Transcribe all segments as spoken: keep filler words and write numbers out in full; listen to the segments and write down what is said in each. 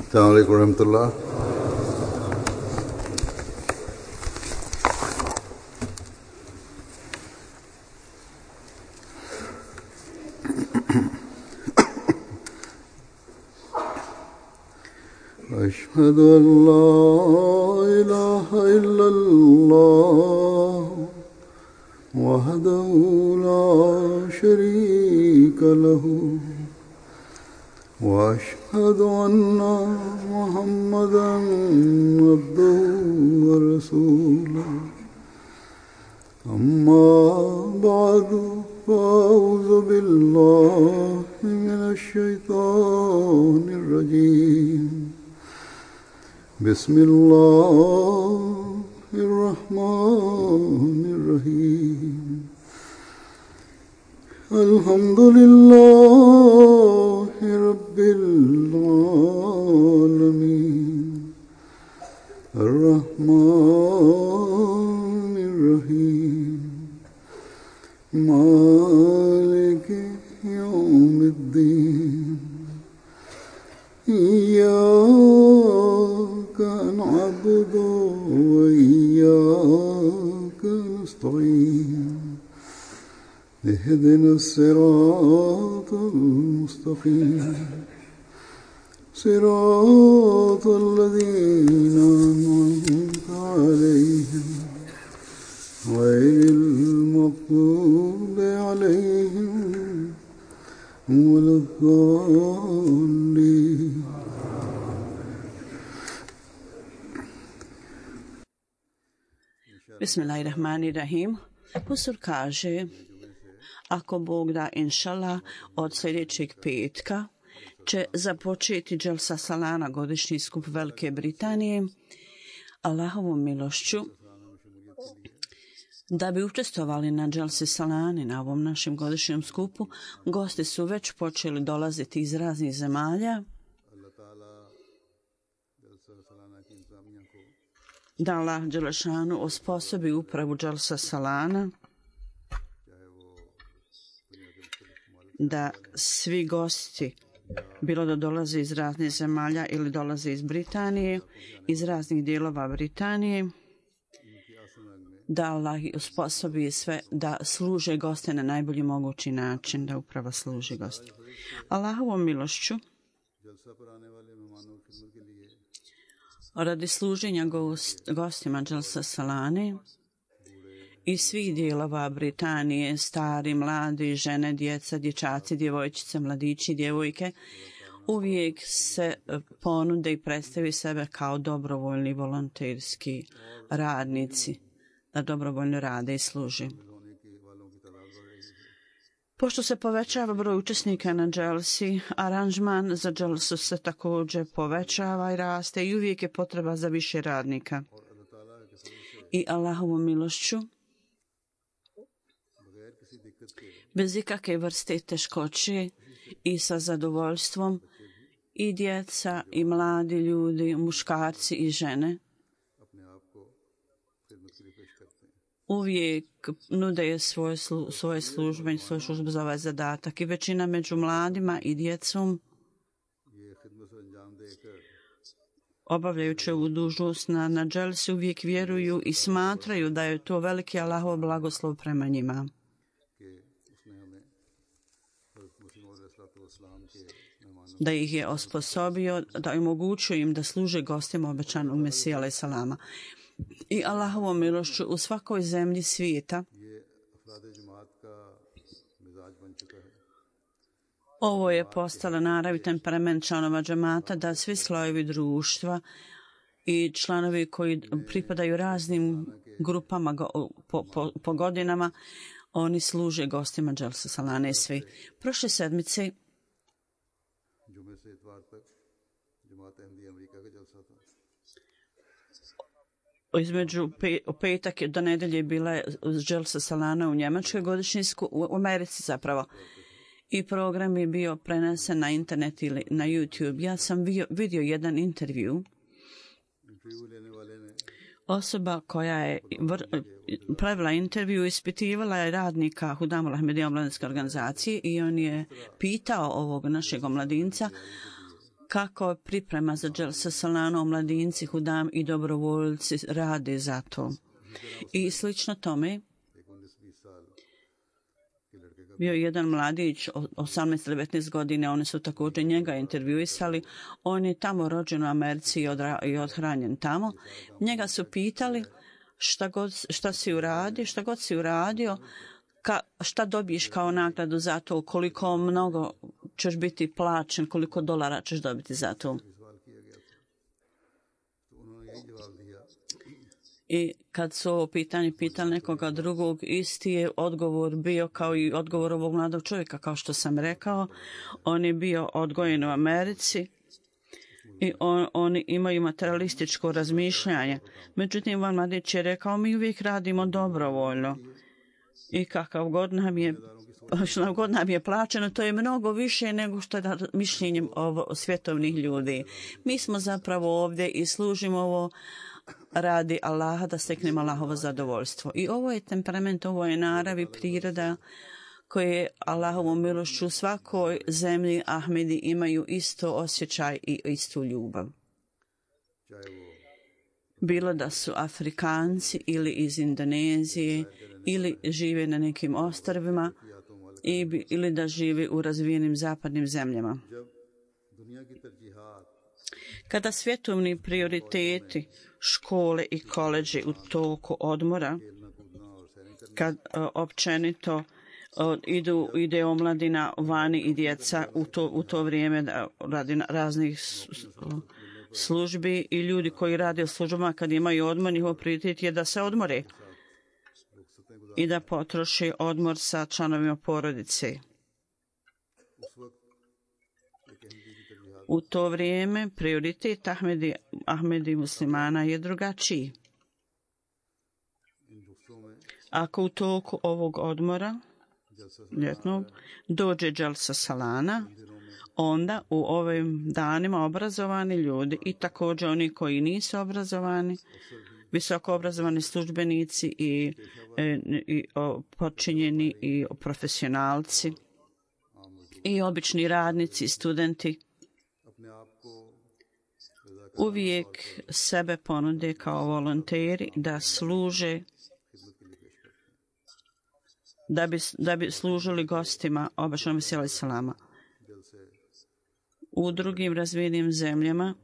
السلام عليكم ورحمة الله. أشهد أن لا إله إلا الله وحده لا شريك له وأشهد أن محمدًا عبده ورسوله أما بعد فأعوذ بالله من الشيطان الرجيم بسم الله الرحمن الرحيم الحمد لله رب العالمين الرحمن الرحيم مالك يوم الدين إياك نعبد وإياك نستعين اهدنا الصراط المستقيم صراط الذين أنعمت عليهم غير المغضوب عليهم ولا الضالين. Bismillahirrahmanirrahim. Pusur kaže, ako Bog da, inšala, od sljedećeg petka će započeti Dželsa Salana, godišnji skup Velike Britanije, Allahovom milošću. Da bi učestvovali na Dželsi Salani, na ovom našem godišnjem skupu, gosti su već počeli dolaziti iz raznih zemalja. Da Allah Đelešanu osposobi upravu Dželsa Salana, da svi gosti, bilo da dolaze iz raznih zemalja ili dolaze iz Britanije, iz raznih dijelova Britanije, da Allah osposobi sve da služe goste na najbolji mogući način, da upravo služi goste. Allahovom milošću, radi služenja gost, gostima Dželsa Salane iz svih dijelova Britanije, stari, mladi, žene, djeca, dječaci, djevojčice, mladići, djevojke, uvijek se ponude i predstavi sebe kao dobrovoljni volonterski radnici, da dobrovoljno rade i služi. Pošto se povećava broj učesnika na Dželsi, aranžman za Dželsu se također povećava i raste i uvijek je potreba za više radnika. I Allahovom milošću, bez ikakve vrste teškoće i sa zadovoljstvom, i djeca i mladi ljudi, muškarci i žene, uvijek nude svoje, slu, svoje službe i svoju službu za ovaj zadatak. I većina među mladima i djecom, obavljajući ovu dužnost na, na Dželsi, uvijek vjeruju i smatraju da je to veliki Allahov blagoslov prema njima. Da ih je osposobio, da je omogućio im da služe gostima obećanog Mesija alejhi selama. I Allahovom milošću u svakoj zemlji svijeta ovo je postala narav i temperament članova džemata, da svi slojevi društva i članovi koji pripadaju raznim grupama go, po, po, po godinama, oni služe gostima Dželsa Salane svi. Prošle sedmice između pe, petak do nedelje bila je Dželsa Salana u Njemačkoj, godišnji skup, u Americi zapravo. I program je bio prenesen na internet ili na YouTube. Ja sam vidio, vidio jedan intervju. Osoba koja je vr, pravila intervju ispitivala je radnika Hudamul Ahmedija omladinske organizacije i on je pitao ovog našeg omladinca kako priprema za Dželsa Salana, mladinci, hudam i dobrovoljci rade za to. I slično tome, bio je jedan mladić, osamnaest devetnaest godine, oni su također njega intervjuisali. On je tamo rođen u Americi i, odra, i odhranjen tamo. Njega su pitali šta, god, šta si uradio, šta god si uradio, ka, šta dobiješ kao nagradu za to, koliko mnogo ćeš biti plaćen, koliko dolara ćeš dobiti za to. I kad su ovo pitanje pitali nekoga drugog, isti je odgovor bio kao i odgovor ovog mladog čovjeka, kao što sam rekao. On je bio odgojen u Americi i on, oni imaju materialističko razmišljanje. Međutim, ovaj mladić je rekao, mi uvijek radimo dobrovoljno i kakav god nam je, što god nam je plaćeno, to je mnogo više nego što je mišljenjem ovo svjetovnih ljudi. Mi smo zapravo ovdje i služimo ovo radi Allaha da steknemo Allahovo zadovoljstvo. I ovo je temperament, ovo je narav i priroda koje Allahovom milošću u svakoj zemlji Ahmedi imaju isto osjećaj i istu ljubav. Bilo da su Afrikanci ili iz Indonezije ili žive na nekim ostrvima ili da žive u razvijenim zapadnim zemljama. Kada svjetovni prioriteti, škole i koleđi u toku odmora, kad o, općenito o, idu, ide omladina vani i djeca u to, u to vrijeme da radi raznih službi i ljudi koji rade u službama kad imaju odmor, njihov prioritet je da se odmore i da potroši odmor sa članovima porodice. U to vrijeme prioritet Ahmedi, Ahmedi muslimana je drugačiji. Ako u toku ovog odmora ljetnog dođe Dželsa Salana, onda u ovim danima obrazovani ljudi i također oni koji nisu obrazovani, visoko obrazovani službenici i, i, i o, počinjeni i profesionalci i obični radnici, studenti, uvijek sebe ponude kao volonteri da služe, da bi, da bi služili gostima obačnog Mesija salama. U drugim razvijenim zemljama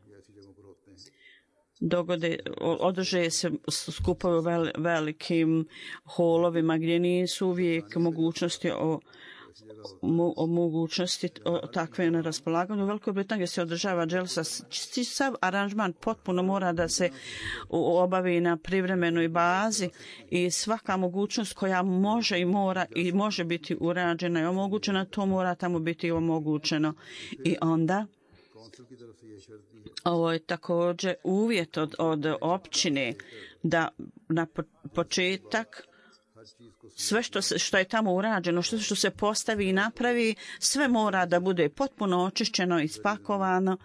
dogode, održe se skupovi u vel, velikim holovima gdje nisu uvijek mogućnosti o o mogućnosti o takve na raspolaganju. U Velikoj Britaniji se održava dželsa. Sav aranžman potpuno mora da se obavi na privremenoj bazi i svaka mogućnost koja može i mora i može biti urađena i omogućena, to mora tamo biti omogućeno. I onda ovo je također uvjet od, od općine da na početak sve što, se, što je tamo urađeno, što, što se postavi i napravi, sve mora da bude potpuno očišćeno i spakovano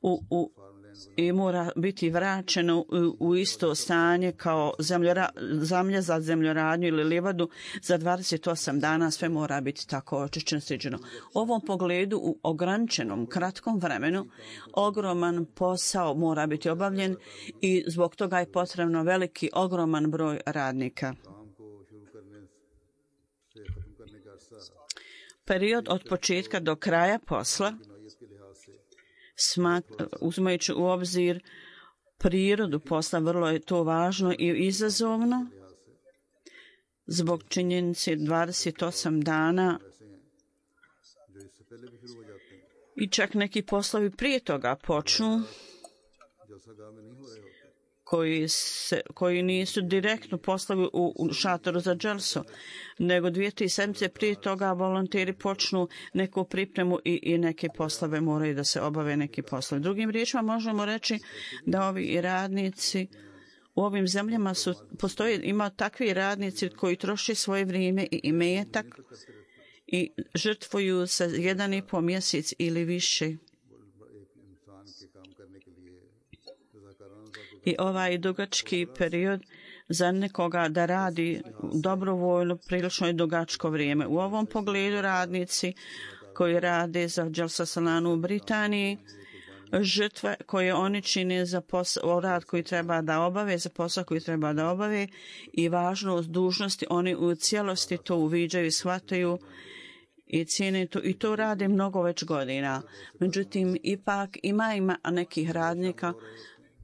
u, u, i mora biti vraćeno u, u isto stanje kao zemljora, zemlja za zemljoradnju ili livadu za dvadeset osam dana, sve mora biti tako očišćeno, sređeno. U ovom pogledu u ograničenom kratkom vremenu ogroman posao mora biti obavljen i zbog toga je potrebno veliki, ogroman broj radnika. Period od početka do kraja posla, smat, uzimajući u obzir prirodu posla, vrlo je to važno i izazovno zbog činjenice dvadeset osam dana i čak neki poslovi prije toga počnu koji, se, koji nisu direktno poslovi u, u šatoru za dželsu, nego dvije, tri sedmice prije toga volonteri počnu neku pripremu i, i neke poslove moraju da se obave neki poslovi. Drugim riječima možemo reći da ovi radnici u ovim zemljama su, postoji, ima takvi radnici koji troše svoje vrijeme i imetak i žrtvuju se jedan i po mjesec ili više. I ovaj dugački period za nekoga da radi dobrovoljno prilično je dugačko vrijeme. U ovom pogledu radnici koji rade za Dželsa Salanu u Britaniji žrtve koje oni čine za posao, rad koji treba da obave, za posao koji treba da obave i važnost dužnosti. Oni u cijelosti to uviđaju, shvataju i cijene to, i to rade mnogo već godina. Međutim, ipak ima, ima nekih radnika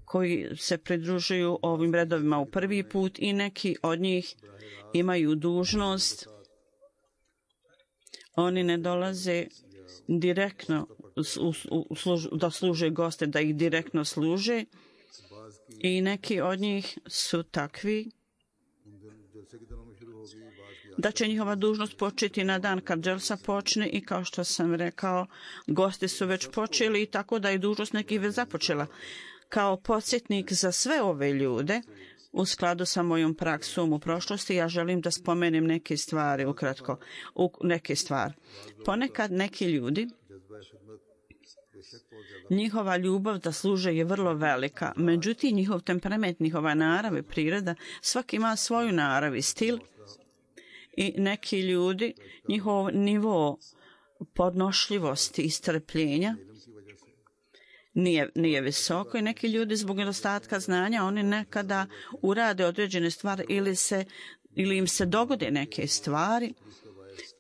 koji se pridružuju ovim redovima u prvi put i neki od njih imaju dužnost. Oni ne dolaze direktno u, u, u služ, da služe goste, da ih direktno služe i neki od njih su takvi da će njihova dužnost početi na dan kad dželsa počne i kao što sam rekao, gosti su već počeli i tako da je dužnost nekih već započela. Kao podsjetnik za sve ove ljude, u skladu sa mojom praksom u prošlosti, ja želim da spomenem neke stvari ukratko. U, neke stvari. Ponekad neki ljudi, njihova ljubav da služe je vrlo velika, međutim njihov temperament, njihova narav i priroda, svaki ima svoju narav i stil i neki ljudi, njihov nivo podnošljivosti i strpljenja Nije, nije visoko i neki ljudi zbog nedostatka znanja oni nekada urade određene stvari ili, se, ili im se dogode neke stvari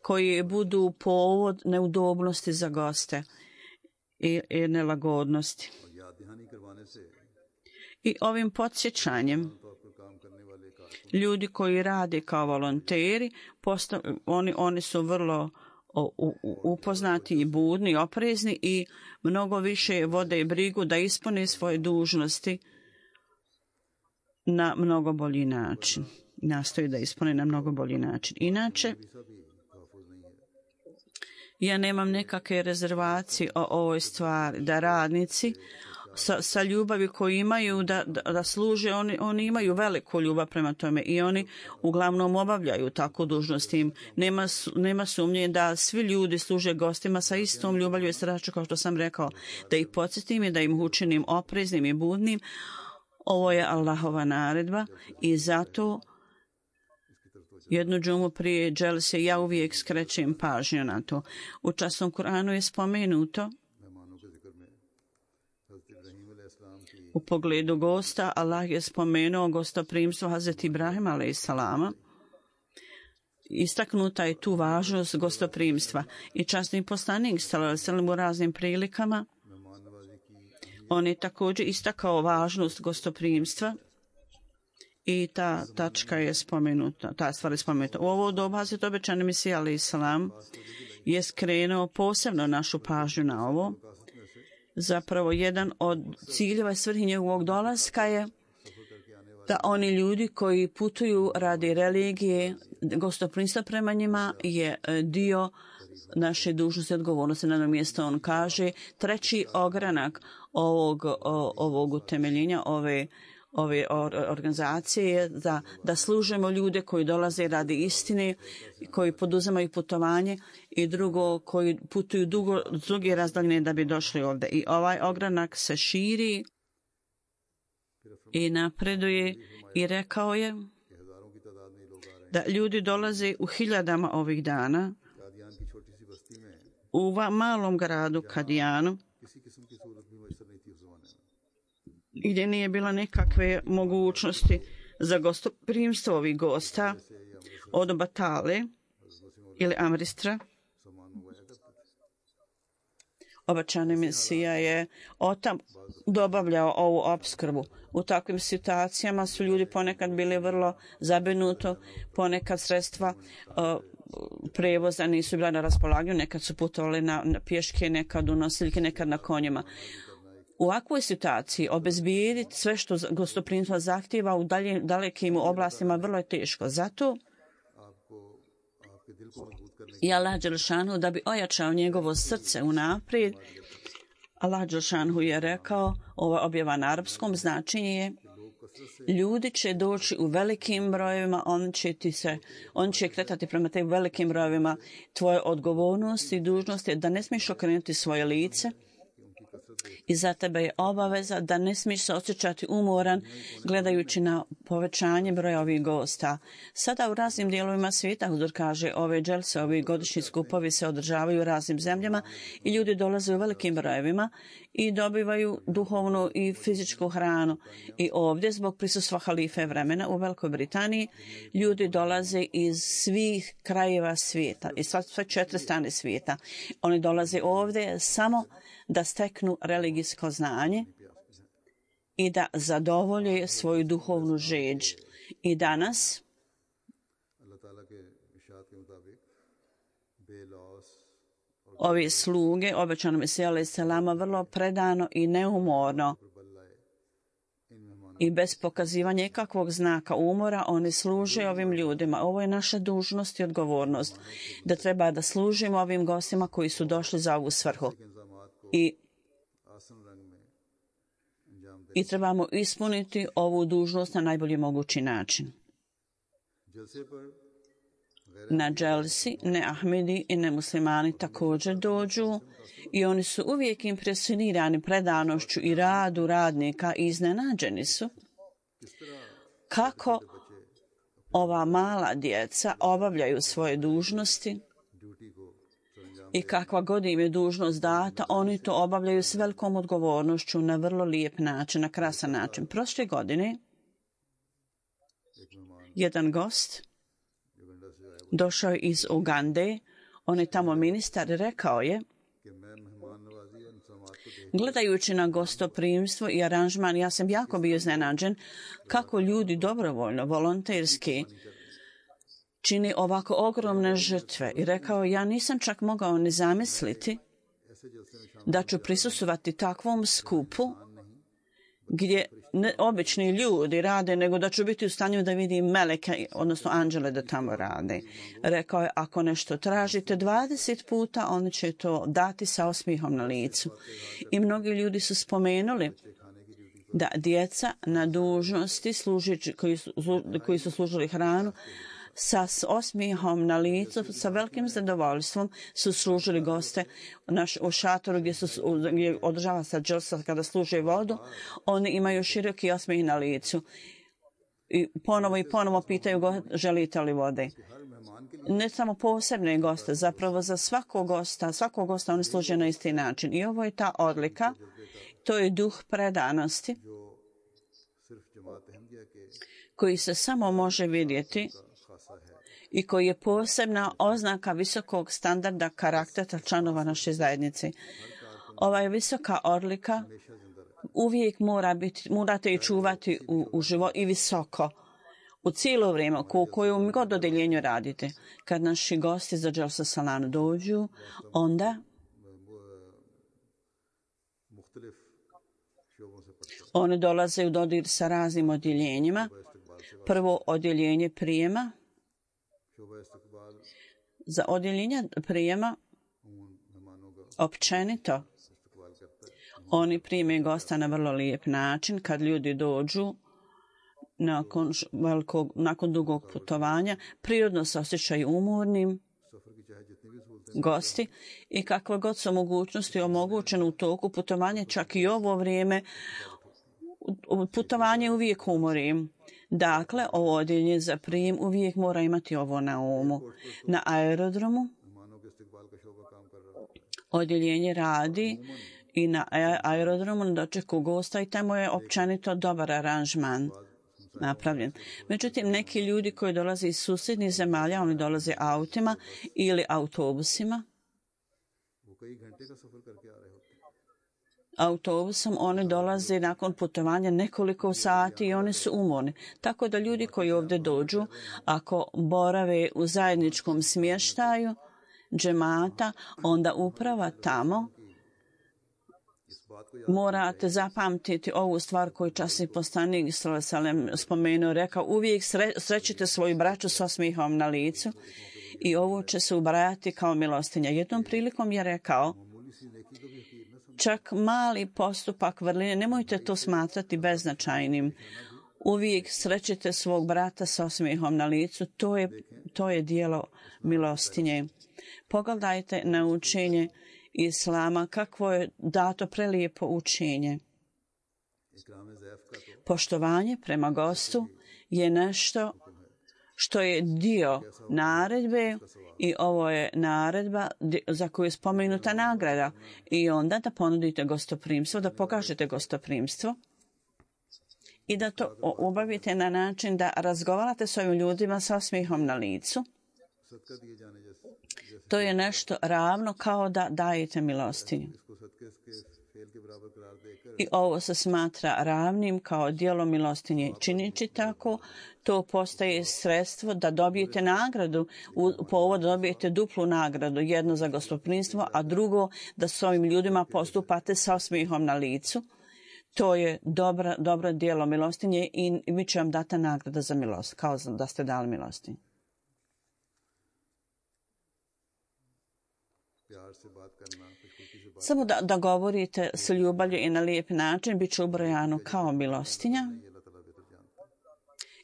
koji budu povod neudobnosti za goste i, i nelagodnosti. I ovim podsjećanjem ljudi koji rade kao volonteri, postav, oni, oni su vrlo upoznati i budni, oprezni i mnogo više vode i brigu da ispune svoje dužnosti na mnogo bolji način. Nastoji da ispune na mnogo bolji način. Inače, ja nemam nekakve rezervacije o ovoj stvari, da radnici sa, sa ljubavi koju imaju da, da, da služe, oni, oni imaju veliku ljubav prema tome i oni uglavnom obavljaju takvu dužnost im. Nema, nema sumnje da svi ljudi služe gostima sa istom ljubavlju i srdačnošću, kao što sam rekao, da ih podsjetim i da im učinim opreznim i budnim. Ovo je Allahova naredba i zato jednu džumu prije dželse ja uvijek skrećem pažnju na to. U časnom Kur'anu je spomenuto u pogledu gosta, Allah je spomenuo gostoprimstvo Hazreti Ibrahima alejselama. Istaknuta je tu važnost gostoprimstva i časni poslanik sallallahu alejhi ve sellem u raznim prilikama on je također istakao važnost gostoprimstva i ta tačka je spomenuta, ta stvar je spomenuta. U ovo doba Hazreti obećani Mesija alejselam je skrenuo posebno našu pažnju na ovo. Zapravo jedan od ciljeva i svrhi njegovog dolaska je da oni ljudi koji putuju radi religije, gostoprimstva prema njima je dio naše dužnosti i odgovornosti. Na jednom mjestu on kaže treći ogranak ovog, ovog utemeljenja, ove ove organizacije da, da služimo ljude koji dolaze radi istine, koji poduzimaju putovanje i drugo koji putuju dugo, duge razdaljine da bi došli ovdje. I ovaj ogranak se širi i napreduje i rekao je da ljudi dolaze u hiljadama ovih dana u malom gradu Kadijanu gdje nije bila nekakve mogućnosti za gostoprimstvo ovih gosta od Batale ili Amristra. Obećani Mesija je otam dobavljao ovu opskrbu. U takvim situacijama su ljudi ponekad bili vrlo zabrinuti, ponekad sredstva uh, prevoza nisu bila na raspolaganju, nekad su putovali na, na pješke, nekad u nosiljke, nekad na konjima. U ovakvoj situaciji obezbijediti sve što gostoprimstvo zahtjeva u dalje, dalekim oblastima vrlo je teško. Zato i Allah dželešanu da bi ojačao njegovo srce unaprijed, Allah dželešanu je rekao, ova objava na arapskom značenje je ljudi će doći u velikim brojevima, on će, ti se, on će kretati prema tim velikim brojevima. Tvoje odgovornosti i dužnosti je da ne smiješ okrenuti svoje lice I za tebe je obaveza da ne smiješ se osjećati umoran gledajući na povećanje broja ovih gosta. Sada u raznim dijelovima svijeta, Huzur kaže, ove dželse, ovi godišnji skupovi se održavaju u raznim zemljama i ljudi dolaze u velikim brojevima i dobivaju duhovnu i fizičku hranu. I ovdje, zbog prisustva halife vremena u Velikoj Britaniji, ljudi dolaze iz svih krajeva svijeta, iz sve četiri strane svijeta. Oni dolaze ovdje samo da steknu religijsko znanje i da zadovolje svoju duhovnu žeđ. I danas ovi sluge, obećano Mesija alejhi selama, vrlo predano i neumorno i bez pokazivanja ikakvog znaka umora, oni služe ovim ljudima. Ovo je naša dužnost i odgovornost, da treba da služimo ovim gostima koji su došli za ovu svrhu. I, i trebamo ispuniti ovu dužnost na najbolji mogući način. Na dželsi ne Ahmedi i ne muslimani također dođu i oni su uvijek impresionirani predanošću i radu radnika i iznenađeni su kako ova mala djeca obavljaju svoje dužnosti i kakva god im je dužnost data, oni to obavljaju s velikom odgovornošću na vrlo lijep način, na krasan način. Prošle godine jedan gost došao iz Ugande, on je tamo ministar, rekao je, gledajući na gostoprimstvo i aranžman, ja sam jako bio iznenađen kako ljudi dobrovoljno, volonterski čini ovako ogromne žrtve. I rekao, ja nisam čak mogao ni zamisliti da ću prisustvovati takvom skupu gdje ne obični ljudi rade, nego da ću biti u stanju da vidim meleke, odnosno anđele da tamo rade. Rekao je, ako nešto tražite dvadeset puta, oni će to dati sa osmihom na licu. I mnogi ljudi su spomenuli da djeca na dužnosti služići, koji, su, koji su služili hranu, sa osmihom na licu, sa velikim zadovoljstvom su služili goste naš, u šatoru gdje, su, gdje održava se dželsa kada služe vodu. Oni imaju široki osmih na licu. I ponovo i ponovo pitaju go, želite li vode. Ne samo posebne goste, zapravo za svakog gosta, svakog gosta oni služe na isti način. I ovo je ta odlika, to je duh predanosti koji se samo može vidjeti i koji je posebna oznaka visokog standarda karaktera članova naše zajednice. Ova je visoka odlika uvijek mora biti, morate i čuvati u, u život i visoko. U cijelo vrijeme, u kojem god odeljenju radite. Kad naši gosti za Dželsa Salanu dođu, onda oni dolaze u dodir sa raznim odjeljenjima. Prvo odjeljenje prijema. Za odjeljenje prijema općenito oni prime gosta na vrlo lijep način. Kad ljudi dođu nakon, velikog, nakon dugog putovanja, prirodno se osjećaju umornim gosti i kakve god su mogućnosti omogućene u toku putovanja, čak i ovo vrijeme putovanje uvijek umori. Dakle, ovo odjeljenje za prijem uvijek mora imati ovo na umu. Na aerodromu odjeljenje radi i na aerodromu na dočeku gosta i tamo je općenito dobar aranžman napravljen. Međutim, neki ljudi koji dolaze iz susjednih zemalja, oni dolaze autima ili autobusima. Autobusom oni dolaze nakon putovanja nekoliko sati i oni su umorni. Tako da ljudi koji ovdje dođu, ako borave u zajedničkom smještaju džemata, onda uprava tamo morate zapamtiti ovu stvar koju časni poslanik Salem spomenuo, rekao, uvijek sre, srećite svoju braću s osmihom na licu i ovo će se ubrajati kao milostinja. Jednom prilikom je rekao, čak mali postupak vrline, nemojte to smatrati beznačajnim. Uvijek srećite svog brata s osmihom na licu, to je, to je dijelo milostinje. Pogledajte na učenje Islama, kakvo je dato prelijepo učenje. Poštovanje prema gostu je nešto što je dio naredbe i ovo je naredba za koju je spomenuta nagrada. I onda da ponudite gostoprimstvo, da pokažete gostoprimstvo i da to obavite na način da razgovarate s ovim ljudima sa osmijehom na licu. To je nešto ravno kao da dajete milostinju. I ovo se smatra ravnim kao djelo milostinje. Činići tako, to postaje sredstvo da dobijete nagradu, u povod dobijete duplu nagradu, jedno za gostoprimstvo, a drugo da s ovim ljudima postupate sa osmijehom na licu. To je dobra, dobro djelo milostinje i mi će vam dati nagrada za milost, kao da ste dali milostinju. Samo da, da govorite s ljubavlju i na lijep način, bit će ubrojano kao milostinja.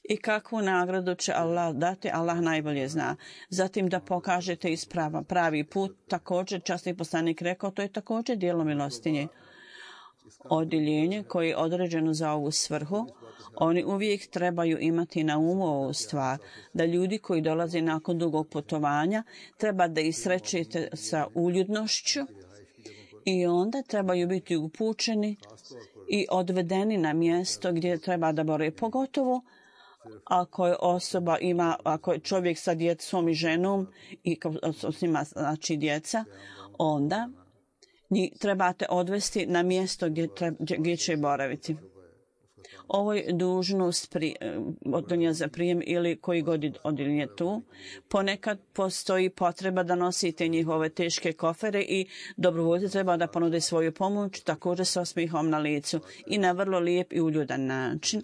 I kakvu nagradu će Allah dati, Allah najbolje zna. Zatim da pokažete ispravan pravi put, također časni poslanik rekao, to je također djelo milostinje. Odjeljenje koje je određeno za ovu svrhu, oni uvijek trebaju imati na umu ovu stvar, da ljudi koji dolaze nakon dugog putovanja treba da ih srećete sa uljudnošću i onda trebaju biti upućeni i odvedeni na mjesto gdje treba da bore, pogotovo ako je osoba ima, ako je čovjek sa djecom i ženom i s njima znači djeca, onda njih trebate odvesti na mjesto gdje, treba, gdje će boraviti. Ovo je dužnost pri, odjeljenja za prijem ili koji god odjeljenje tu. Ponekad postoji potreba da nosite njihove teške kofere i dobrovoljci treba da ponude svoju pomoć, također sa osmihom na licu i na vrlo lijep i uljudan način.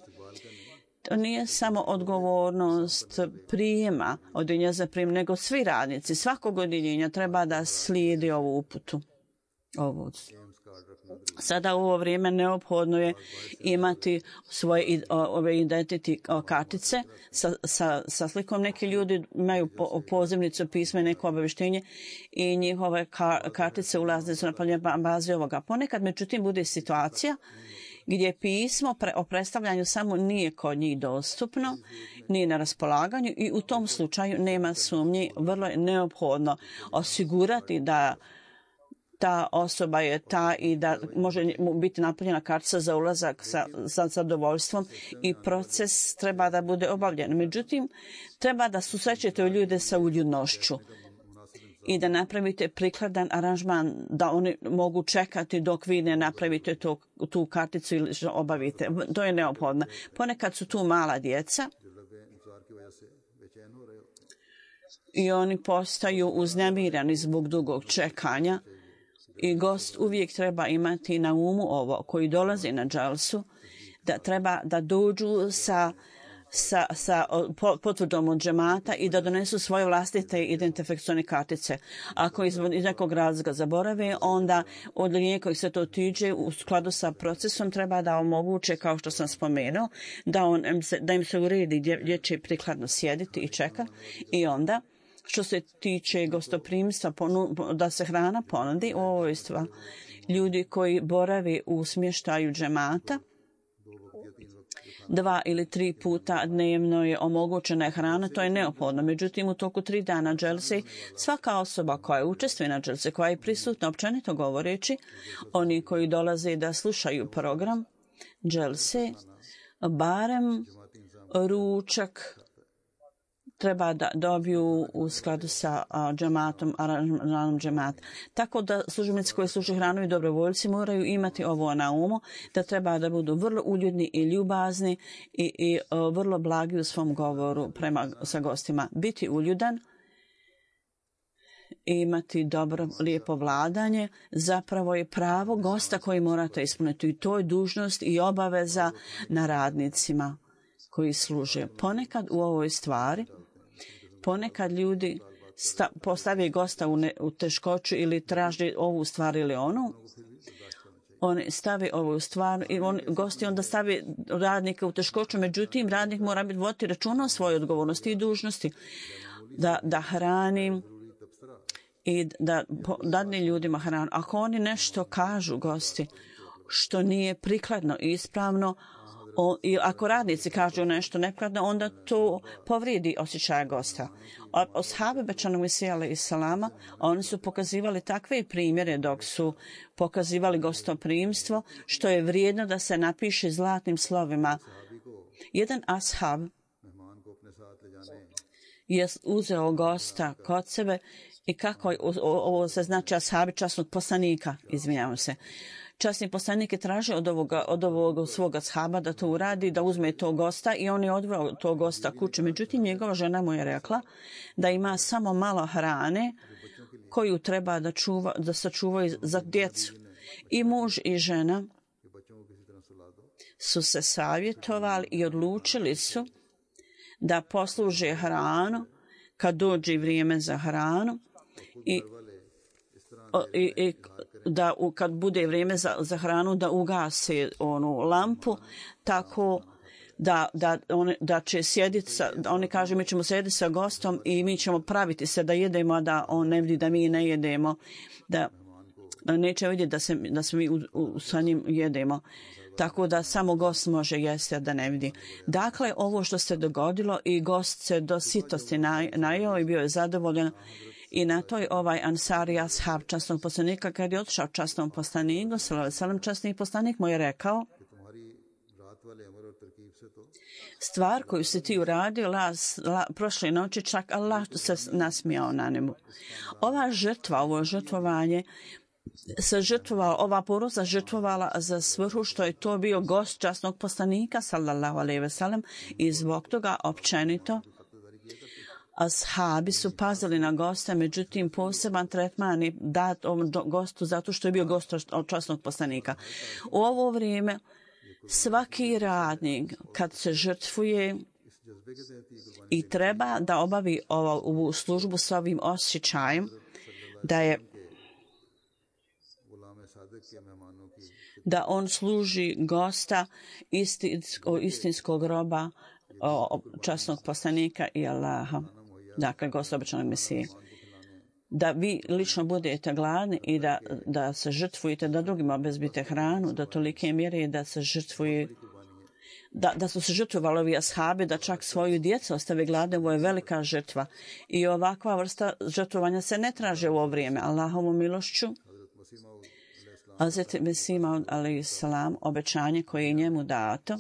To nije samo odgovornost prijema odjeljenja za prijem, nego svi radnici svakog odjeljenja treba da slijedi ovu uputu. Ovo. Sada u ovo vrijeme neophodno je imati svoje ove identity kartice sa, sa, sa slikom. Neki ljudi imaju po, pozivnicu, pismo i neko obavještenje i njihove kar, kartice ulazne su na bazi ovoga. Ponekad, međutim, bude situacija gdje pismo pre, o predstavljanju samo nije kod njih dostupno, nije na raspolaganju i u tom slučaju nema sumnje, vrlo je neophodno osigurati da ta osoba je ta i da može biti napunjena kartica za ulazak sa, sa zadovoljstvom i proces treba da bude obavljen. Međutim, treba da susrećete ljude sa uljudnošću i da napravite prikladan aranžman da oni mogu čekati dok vi ne napravite to, tu karticu ili obavite. To je neophodno. Ponekad su tu mala djeca i oni postaju uznemirani zbog dugog čekanja. I gost uvijek treba imati na umu ovo, koji dolazi na džalsu, da treba da dođu sa, sa, sa potvrdom od džemata i da donesu svoje vlastite identifikacione kartice. Ako iz, iz nekog razloga zaborave, onda odjeljenje koji se to tiče u skladu sa procesom treba da omoguće, kao što sam spomenuo, da, on, da im se uredi gdje, gdje će prikladno sjediti i čekati i onda što se tiče gostoprimstva, da se hrana ponudi, ovo je stvar. Ljudi koji boravi u smještaju džemata, dva ili tri puta dnevno je omogućena hrana, to je neophodno. Međutim, u toku tri dana dželse, svaka osoba koja učestvuje na dželse, koja je prisutna, općenito govoreći, oni koji dolaze da slušaju program dželse, barem ručak treba da dobiju u skladu sa a, džematom, aranžmanom džemata. Tako da službenici koji služe hranu i dobrovoljci moraju imati ovo na umu, da treba da budu vrlo uljudni i ljubazni i, i a, vrlo blagi u svom govoru prema sa gostima. Biti uljudan i imati dobro, lijepo vladanje zapravo je pravo gosta koji morate ispuniti. I to je dužnost i obaveza na radnicima koji služe. Ponekad u ovoj stvari Ponekad ljudi sta, postave gosta u, ne, u teškoću ili traže ovu stvar ili onu. Oni stave ovu stvar i on, gosti onda stave radnika u teškoću. Međutim, radnik mora biti voditi računa o svojoj odgovornosti i dužnosti. Da, da hrani i da dadne ljudima hranu. Ako oni nešto kažu, gosti, što nije prikladno i ispravno, o, i ako radnici kažu nešto neprikladno, onda to povrijedi osjećaje gosta. Ashabi Bećanog Mesija alejhi salama, oni su pokazivali takve primjere dok su pokazivali gostoprimstvo, što je vrijedno da se napiše zlatnim slovima. Jedan ashab je uzeo gosta kod sebe i kako, ovo se znači ashabi časnog poslanika, izvinjavam se. Časni poslanik je tražio od, ovoga, od ovog svoga ashaba da to uradi, da uzme tog gosta i on je odveo tog gosta kuće. Međutim, njegova žena mu je rekla da ima samo malo hrane koju treba da, čuva, da sačuvaju za djecu. I muž i žena su se savjetovali i odlučili su da posluže hranu kad dođe vrijeme za hranu i, i, i da u, kad bude vrijeme za, za hranu da ugase onu lampu tako da, da, on, da će sjediti sa, oni kažu mi ćemo sjediti sa gostom i mi ćemo praviti se da jedemo, a da on ne vidi da mi ne jedemo, da, da neće vidjeti da se, da se mi u, u, sa njim jedemo. Tako da samo gost može jesti, a da ne vidi. Dakle, ovo što se dogodilo i gost se do sitosti najeo i bio je zadovoljan. I na toj ovaj Ansari ashab časnog poslanika, kad je otišao časnom poslaniku, salam časni poslanik mu je rekao: stvar koju si ti uradio la, la, prošle noći, čak Allah se nasmijao na njemu. Ova žrtva, ovo žrtvovanje se žrtvovala, ova porodica žrtvovala za svrhu što je to bio gost časnog poslanika, sallallahu alejhi ve sellem, i zbog toga općenito ashabi su pazili na gosta, međutim poseban tretman je dat ovom gostu zato što je bio gost od časnog poslanika. U ovo vrijeme svaki radnik kad se žrtvuje i treba da obavi ovu službu s ovim osjećajem da je da on služi gosta istinskog, istinskog roba o, časnog poslanika i Allaha, dakle gosta obećanog Mesije. Da vi lično budete gladni i da, da se žrtvujete, da drugima obezbite hranu, da tolike mjere da se žrtvuje, da, da su se žrtvovali ovi ashabi, da čak svoju djecu ostave gladne, ovo je velika žrtva. I ovakva vrsta žrtvovanja se ne traže u ovo vrijeme. Allahovom milošću, Hazreti Mesima alejhi salam, obećanje koje je njemu dato,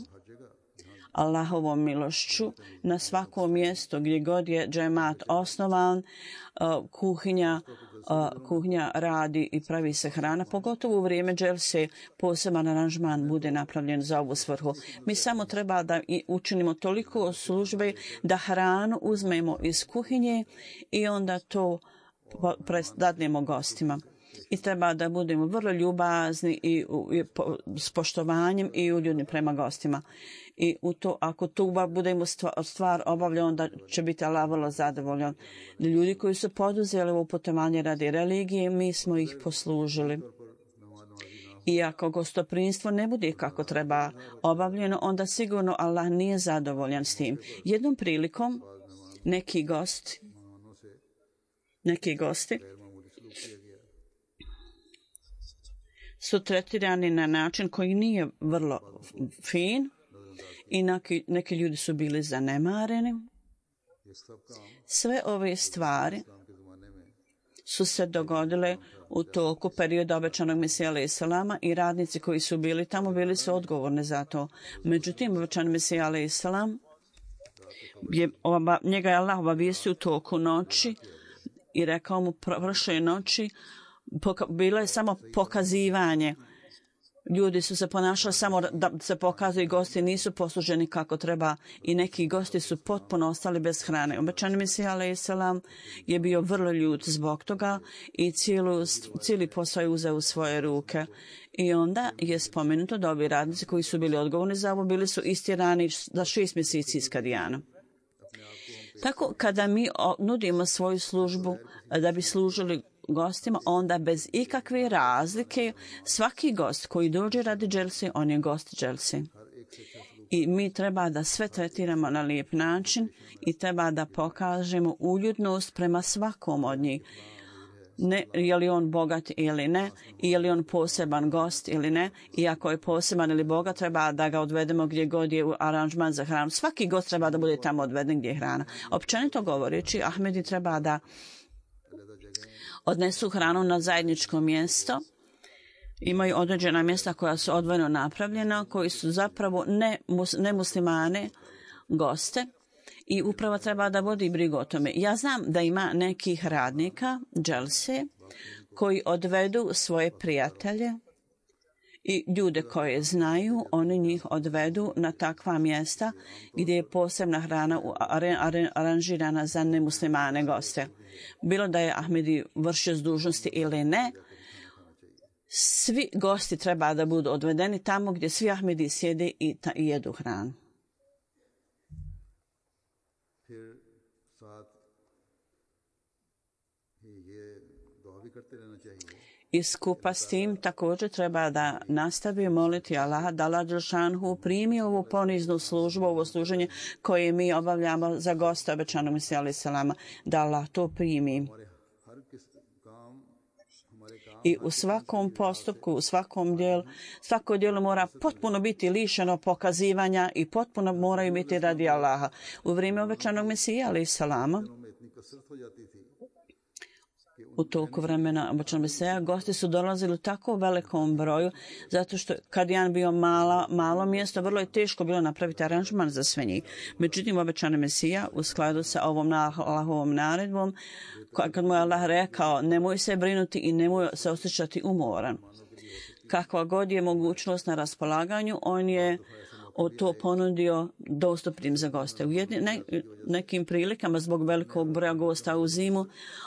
Allahovom milošću, na svakom mjestu gdje god je džemat osnovan, kuhinja, kuhinja radi i pravi se hrana, pogotovo u vrijeme dželse poseban aranžman bude napravljen za ovu svrhu. Mi samo treba da učinimo toliko službe da hranu uzmemo iz kuhinje i onda to dadnemo gostima. I treba da budemo vrlo ljubazni i, i po, s poštovanjem i uljudni prema gostima. I u to, ako to budemo stvar, stvar obavljati, onda će biti Allah vrlo zadovoljan. Ljudi koji su poduzeli ovo putovanje radi religije, mi smo ih poslužili. I ako gostoprimstvo ne bude kako treba obavljeno, onda sigurno Allah nije zadovoljan s tim. Jednom prilikom neki gosti, neki gosti su tretirani na način koji nije vrlo fin i neki, neki ljudi su bili zanemareni. Sve ove stvari su se dogodile u toku perioda obećanog Mesija alejhi salama i radnici koji su bili tamo bili su odgovorni za to. Međutim, obećani Mesija alejhi salam je, oba, njega je Allah obavijestio u toku noći i rekao mu prošle noći, Poka, bilo je samo pokazivanje. Ljudi su se ponašali samo da se pokazuju, gosti nisu posluženi kako treba i neki gosti su potpuno ostali bez hrane. Obećani Mesija alejhi salam je bio vrlo ljut zbog toga i cijelu, cijeli posao je uzeo u svoje ruke. I onda je spomenuto da ovi radnici koji su bili odgovorni za ovo bili su istirani za šest mjeseci iz Kadijana. Tako kada mi nudimo svoju službu da bi služili gostima, onda bez ikakve razlike svaki gost koji dođe radi dželsi, on je gost dželsi. I mi treba da sve tretiramo na lijep način i treba da pokažemo uljudnost prema svakom od njih. ne, je li on bogat ili ne, i je li on poseban gost ili ne, i ako je poseban ili bogat, treba da ga odvedemo gdje god je aranžman za hranu. Svaki gost treba da bude tamo odveden gdje je hrana. Općenito govoreći, Ahmedi treba da odnesu hranu na zajedničko mjesto. Imaju određena mjesta koja su odvojeno napravljena, koji su zapravo ne, ne muslimane goste. I upravo treba da vodi brigu o tome. Ja znam da ima nekih radnika, dželse, koji odvedu svoje prijatelje i ljude koje znaju, oni njih odvedu na takva mjesta gdje je posebna hrana aranžirana za nemuslimane goste. Bilo da je Ahmedi vršio dužnosti ili ne, svi gosti treba da budu odvedeni tamo gdje svi Ahmedi sjede i, ta, i jedu hranu. I skupa s tim također treba da nastavi moliti Allaha da Allah dželšanhu primi ovu poniznu službu, ovo služenje koje mi obavljamo za gosta obećanog Mesija alejhi selama, da Allah to primi. I u svakom postupku, u svakom dijelu, svako dijelo mora potpuno biti lišeno pokazivanja i potpuno moraju biti radi Allaha. U vrijeme obećanog Mesija alejhi selama, u toku vremena obećanog Mesija, gosti su dolazili u tako velikom broju, zato što kad je bio mala, malo mjesto, vrlo je teško bilo napraviti aranžman za sve njih. Međutim, obećani Mesija u skladu sa ovom Allahovom naredbom, kad mu je Allah rekao, nemoj se brinuti i nemoj se osjećati umoran. Kakva god je mogućnost na raspolaganju, on je to ponudio dostupnim za goste. U jedni, ne, nekim prilikama zbog velikog broja gosta u zimu,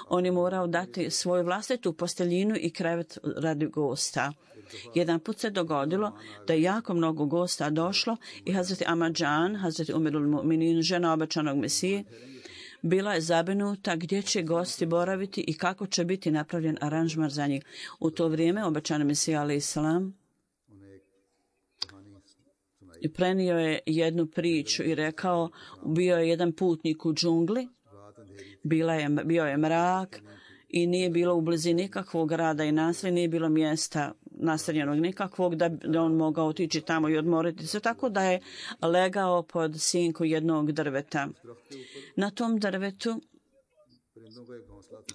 on je morao dati svoju vlastitu posteljinu i krevet radi gosta. Jedan put se dogodilo da je jako mnogo gosta došlo i Hazreti Amadžan, Hazreti Umirul Mu'minin, žena obećanog Mesije, bila je zabrinuta gdje će gosti boraviti i kako će biti napravljen aranžman za njih. U to vrijeme obećani Mesija alejhi selam i prenio je jednu priču i rekao, bio je jedan putnik u džungli, bila je, bio je mrak i nije bilo u blizini nikakvog grada i naselja, nije bilo mjesta naseljenog nikakvog da bi on mogao otići tamo i odmoriti se, tako da je legao pod sinku jednog drveta. Na tom drvetu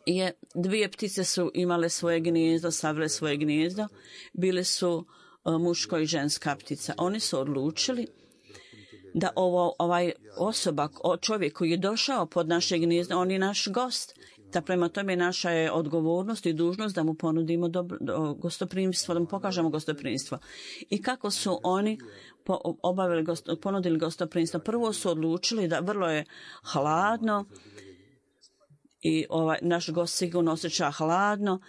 je dvije ptice su imale svoje gnijezdo, savile svoje gnijezdo, bile su muško i ženska ptica. Oni su odlučili da ovo, ovaj osoba, čovjek koji je došao pod naše gnijezdo, on je naš gost. Da prema tome naša je odgovornost i dužnost da mu ponudimo dobro, do, gostoprimstvo, da mu pokažemo gostoprimstvo. I kako su oni po, obavili, gost, ponudili gostoprimstvo? Prvo su odlučili da vrlo je hladno i ovaj, naš gost sigurno osjeća hladno,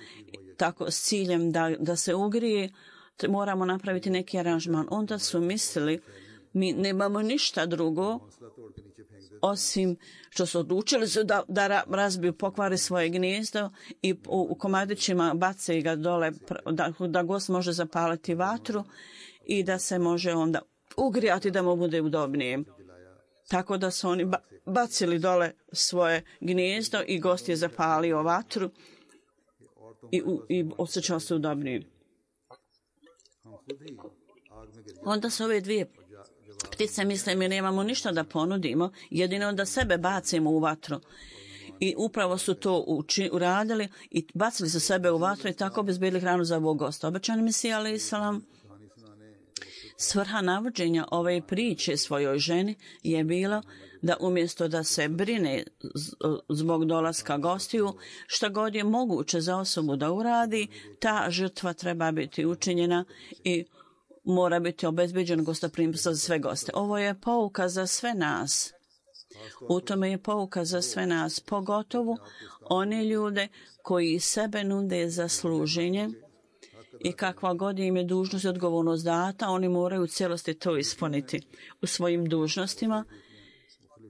tako s ciljem da, da se ugrije, moramo napraviti neki aranžman. Onda su mislili, mi nemamo ništa drugo, osim što su odlučili su da, da razbiju, pokvari svoje gnijezdo i u, u komadićima bace ga dole, da, da gost može zapaliti vatru i da se može onda ugrijati da mu bude udobnije. Tako da su oni ba, bacili dole svoje gnijezdo i gost je zapalio vatru i, u, i osjećao se udobnije. Onda su ove dvije ptice misle, mi nemamo ništa da ponudimo, jedino da sebe bacimo u vatru. I upravo su to uči, uradili i bacili su sebe u vatru i tako obezbedili hranu za ovog gosta. Obećani Mesija alejhi selam, svrha navođenja ove priče svojoj ženi je bilo da umjesto da se brine zbog dolaska gostiju, šta god je moguće za osobu da uradi, ta žrtva treba biti učinjena i mora biti obezbeđen gostoprimstvo za sve goste. Ovo je pouka za sve nas. U tome je pouka za sve nas, pogotovo one ljude koji sebe nude za služenje i kakva god im je dužnost i odgovornost data, oni moraju u cijelosti to ispuniti u svojim dužnostima.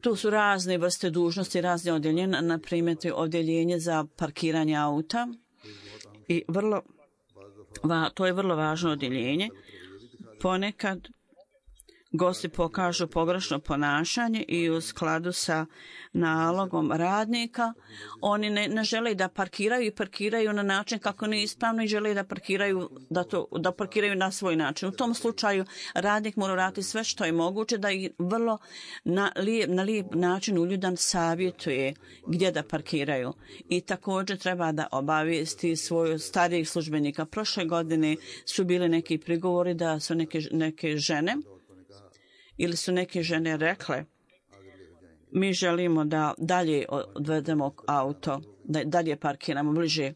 Tu su razne vrste dužnosti, razne odjeljenja, na primjer odjeljenje za parkiranje auta i vrlo, va, to je vrlo važno odjeljenje. Ponekad gosti pokažu pogrešno ponašanje i u skladu sa nalogom radnika oni ne, ne žele da parkiraju i parkiraju na način kako nije ispravno i žele da parkiraju da, to, da parkiraju na svoj način. U tom slučaju radnik mora raditi sve što je moguće da ih vrlo na lijep, na lijep način uljudan savjetuje gdje da parkiraju. I također treba da obavijesti svoju starijih službenika. Prošle godine su bili neki prigovori da su neke, neke žene ili su neke žene rekle mi želimo da dalje odvedemo auto, da dalje parkiramo bliže.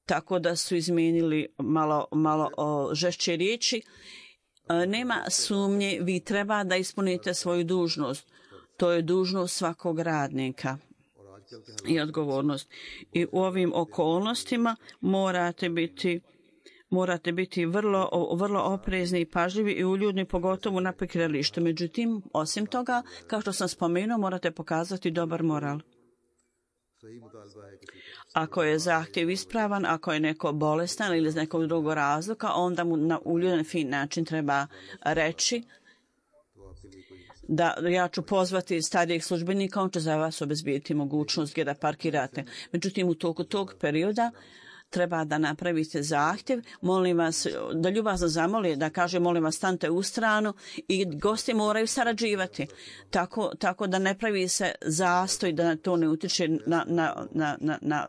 Tako da su izmijenili malo, malo o, žešće riječi. E, nema sumnje, vi treba da ispunite svoju dužnost. To je dužnost svakog radnika i odgovornost. I u ovim okolnostima morate biti morate biti vrlo, vrlo oprezni i pažljivi i uljudni, pogotovo na parkiralištu. Međutim, osim toga, kao što sam spomenuo, morate pokazati dobar moral. Ako je zahtjev ispravan, ako je neko bolestan ili iz nekog drugog razloga, onda mu na uljudan fin način treba reći da ja ću pozvati starijeg službenika, on će za vas obezbijeti mogućnost gdje da parkirate. Međutim, u toku tog perioda treba da napravite zahtjev, molim vas, da ljubazno zamoli, da kaže molim vas stante u stranu i gosti moraju sarađivati. Tako, tako da ne pravi se zastoj, da to ne utiče na, na, na, na, na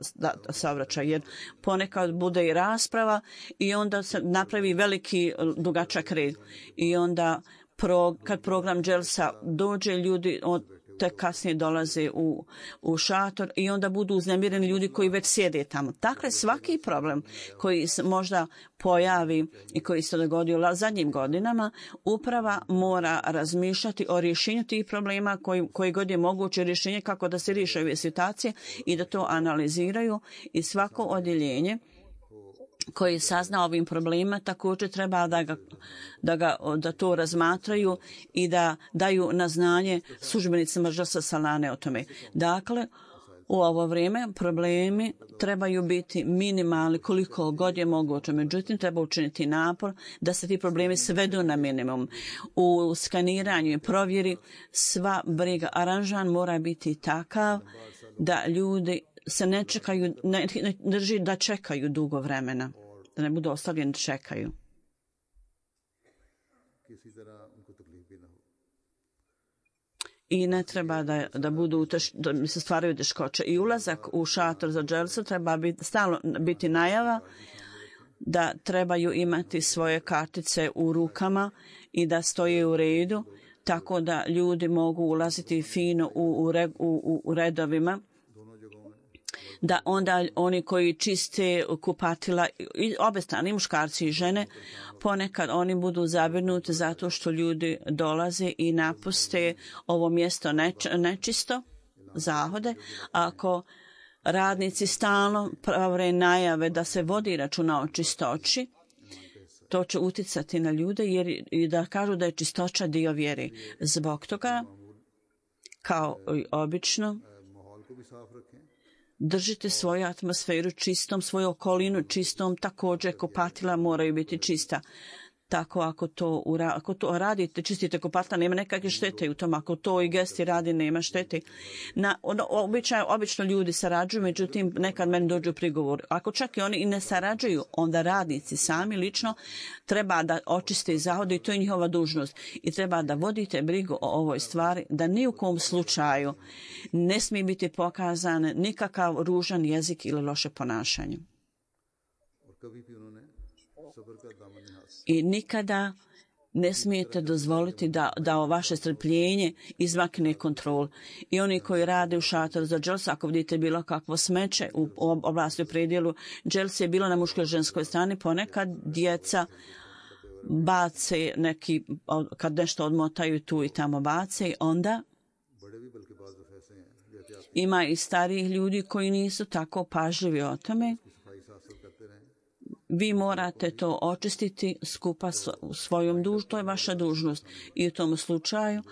saobraćaj, jer ponekad bude i rasprava i onda se napravi veliki dugačak red. I onda pro, kad program Dželsa dođe, ljudi od te kasnije dolaze u, u šator i onda budu uznemireni ljudi koji već sjede tamo. Dakle, svaki problem koji se možda pojavi i koji se dogodio u zadnjim godinama, uprava mora razmišljati o rješenju tih problema koji, koji god je moguće rješenje kako da se riješe ove situacije i da to analiziraju i svako odjeljenje koji sazna ovim problemima također treba da, ga, da, ga, da to razmatraju i da daju na znanje službenicima Dželsa Salane o tome. Dakle, u ovo vrijeme problemi trebaju biti minimalni koliko god je moguće. Međutim, treba učiniti napor da se ti problemi svedu na minimum. U skaniranju i provjeri sva briga, aranžman mora biti takav da ljudi se ne čekaju, ne, ne drži da čekaju dugo vremena, da ne budu ostavljeni čekaju. I ne treba da, da budu teš, da se stvaraju teškoće. I ulazak u šator za Dželsu treba biti, stalno biti najava da trebaju imati svoje kartice u rukama i da stoje u redu, tako da ljudi mogu ulaziti fino u, u, u, u redovima. Da onda oni koji čiste kupatila, obe strane, muškarci i žene, ponekad oni budu zabrinuti zato što ljudi dolaze i napuste ovo mjesto neč, nečisto, zahode. Ako radnici stalno prave najave da se vodi računa o čistoći, to će uticati na ljude jer i da kažu da je čistoća dio vjere. Zbog toga, kao i obično, držite svoju atmosferu čistom, svoju okolinu čistom, također kupatila moraju biti čista. Tako ako to, ako to radite, čistite kupatila, nema nekakve štete u tom. Ako to i gesti radi, nema štete. Na, obično, obično ljudi sarađuju, međutim nekad meni dođu prigovor. Ako čak i oni i ne sarađuju, onda radnici sami lično treba da očiste i zahode i to je njihova dužnost. I treba da vodite brigu o ovoj stvari, da ni u kom slučaju ne smije biti pokazan nikakav ružan jezik ili loše ponašanje. I nikada ne smijete dozvoliti da, da o vaše strpljenje izmakne kontrol. I oni koji rade u šatoru za Džels, ako vidite bilo kakvo smeće u oblasti u predjelu, Džels je bilo na muškoj ženskoj strani, ponekad djeca bace neki, kad nešto odmotaju tu i tamo bace, onda ima i starijih ljudi koji nisu tako pažljivi o tome. Vi morate to očistiti skupa s svojom dužnošću, to je vaša dužnost. I u tom slučaju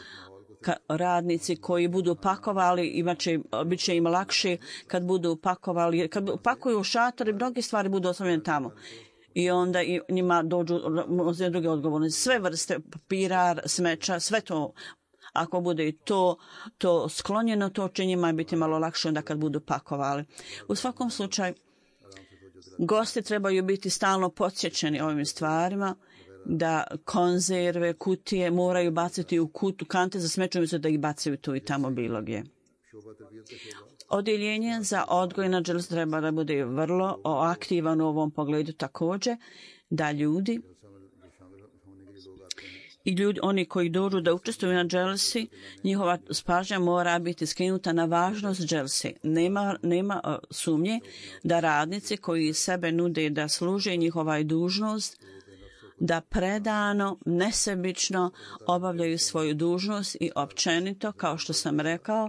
radnici koji budu pakovali, imaće, bit će im lakše kad budu pakovali, kad pakuju u šator i mnoge stvari budu ostavljene tamo. i onda i njima dođu druge odgovornosti. Sve vrste papira, smeća, sve to, ako bude i to, to sklonjeno, to će njima biti malo lakše onda kad budu pakovali. U svakom slučaju, gosti trebaju biti stalno podsjećeni ovim stvarima, da konzerve, kutije moraju baciti u kutu, kante za smeće, umjesto da ih bacaju tu i tamo bilo gdje. Odjeljenje za odgoj na dželsi treba da bude vrlo aktivan u ovom pogledu također, da ljudi i ljudi, oni koji dođu da učestvuju na dželsi, njihova pažnja mora biti skinuta na važnost dželsi. Nema, nema uh, sumnje da radnici koji sebe nude da služe, njihova je dužnost da predano, nesebično obavljaju svoju dužnost i općenito, kao što sam rekao,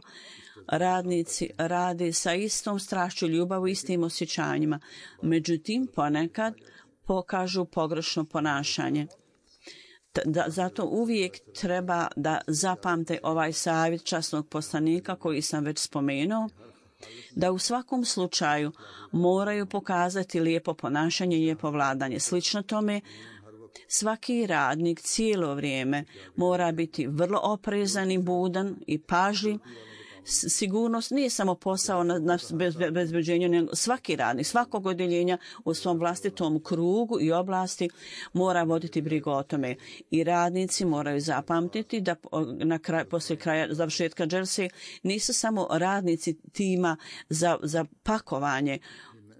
radnici rade sa istom strašću, ljubavu, istim osjećanjima. Međutim, ponekad pokažu pogrešno ponašanje. Da, zato uvijek treba da zapamte ovaj savjet časnog poslanika koji sam već spomenuo, da u svakom slučaju moraju pokazati lijepo ponašanje i lijepo vladanje. Slično tome, svaki radnik cijelo vrijeme mora biti vrlo oprezan i budan i pažljiv. Sigurnost nije samo posao na, na bezbeđenju, nego svaki radnik, svakog odjeljenja u svom vlastitom krugu i oblasti mora voditi brigu o tome. I radnici moraju zapamtiti da na kraj, poslije kraja završetka dželse nisu samo radnici tima za, za pakovanje,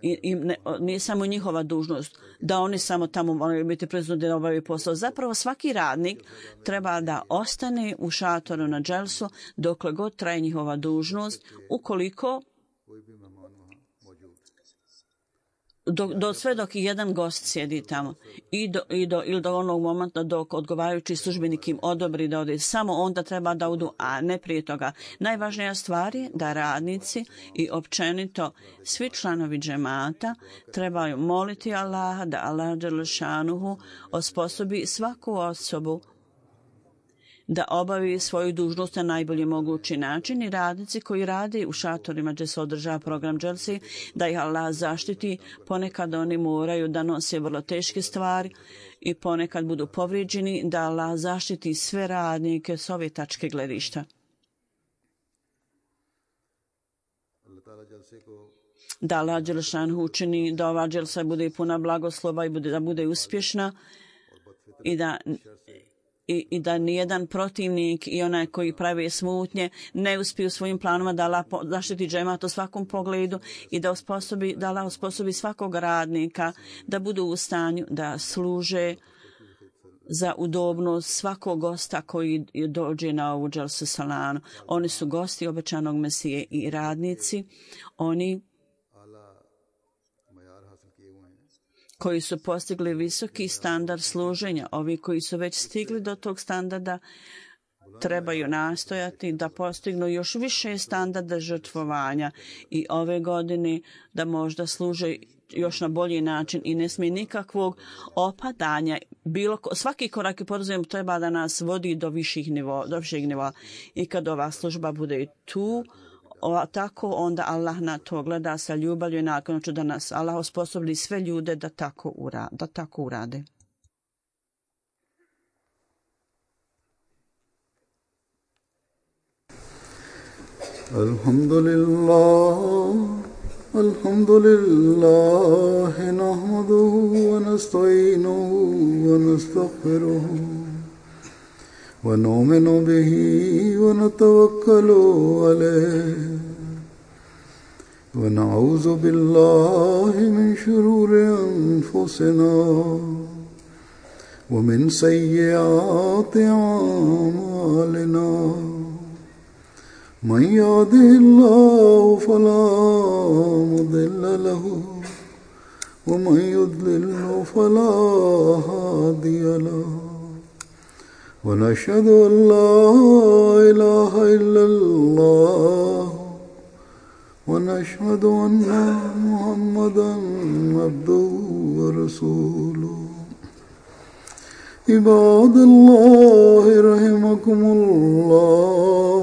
I, i ne, nije samo njihova dužnost da oni samo tamo moraju biti prezudni da obavljaju posao. Zapravo svaki radnik treba da ostane u šatoru na dželsu dokle god traje njihova dužnost, ukoliko do, do sve dok i jedan gost sjedi tamo i do, i do, ili do onog momenta dok odgovarajući službenik im odobri da ode, samo onda treba da odu, a ne prije toga. Najvažnija stvar je da radnici i općenito svi članovi džemata trebaju moliti Allaha da Allah dželešanuhu osposobi svaku osobu da obavi svoju dužnost na najbolji mogući način, i radnici koji rade u šatorima gdje se održava program dželsi, da ih Allah zaštiti. Ponekad oni moraju da nose vrlo teške stvari i ponekad budu povrijeđeni, da Allah zaštiti sve radnike s ove tačke gledišta. Da Allah dželešanuhu učini da ova dželsa bude puna blagoslova i bude, da bude uspješna i da I, i da nijedan protivnik i onaj koji pravi smutnje ne uspiju svojim planoma da Allah zaštiti džemat u svakom pogledu i da osposobi, da Allah osposobi svakog radnika da budu u stanju da služe za udobnost svakog gosta koji dođe na ovu dželsu salanu. Oni su gosti obećanog Mesije i radnici, oni koji su postigli visoki standard služenja. Ovi koji su već stigli do tog standarda trebaju nastojati da postignu još više standarda žrtvovanja i ove godine da možda služe još na bolji način i ne smije nikakvog opadanja. Bilo, svaki korak i poduzem treba da nas vodi do viših nivoa, do viših nivoa. I kad ova služba bude tu, O, tako onda Allah na to gleda sa ljubavlju i naklonoću da nas Allah osposobi sve ljude da tako, ura, da tako urade. Alhamdulillah, alhamdulillah, nahmaduhu wa nasta'inuhu wa nastaghfiruhu. ونؤمن به ونتوكل عليه ونعوذ بالله من شرور أنفسنا ومن سيئات أعمالنا من يهده الله فلا مضل له ومن يضلل فلا هادي له ونشهد أن لا إله إلا الله ونشهد أن محمدا عبده ورسوله عباد الله رحمكم الله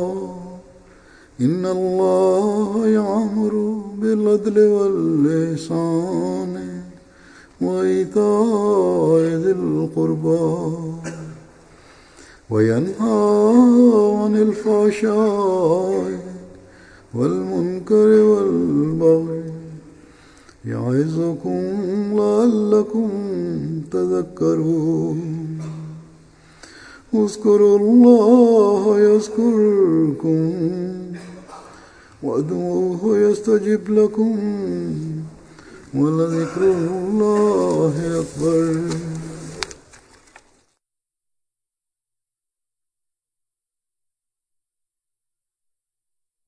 إن الله يأمر بالعدل والإحسان وإيتاء ذي القربى وينهى عن الفحشاء والمنكر والبغي يعظكم لعلكم تذكرون اذكروا الله يذكركم وادعوه يستجب لكم ولذكر الله أكبر.